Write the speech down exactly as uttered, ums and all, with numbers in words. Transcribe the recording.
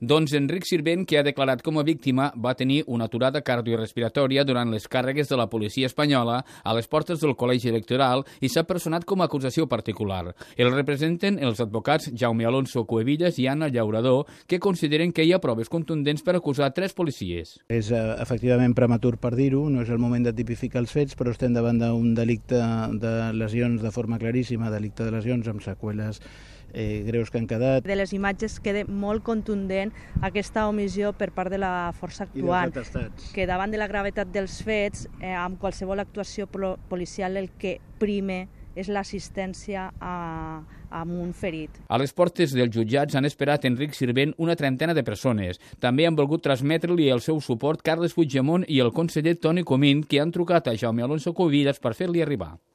Doncs Enric Sirvent, que ha declarat com a víctima, va tenir una aturada cardiorrespiratòria durant les càrregues de la policia espanyola a les portes del col·legi electoral i s'ha personat com a acusació particular. El representen els advocats Jaume Alonso Cuevillas i Anna Llaurador, que consideren que hi ha proves contundents per acusar tres policies. És eh, efectivament prematur per dir-ho, no és el moment de tipificar els fets, però estem davant d'un delicte de lesions de forma claríssima, delicte de lesions amb seqüeles eh, greus que han quedat. De les imatges queda molt contundent aquesta omissió per part de la força actuant, que davant de la gravetat dels fets, eh, amb qualsevol actuació policial el que prime és l'assistència a, a un ferit. A les portes dels jutjats han esperat Enric Sirvent una trentena de persones. També han volgut transmetre-li el seu suport Carles Puigdemont i el conseller Toni Comín, que han trucat a Jaume Alonso Cuevillas per fer-li arribar.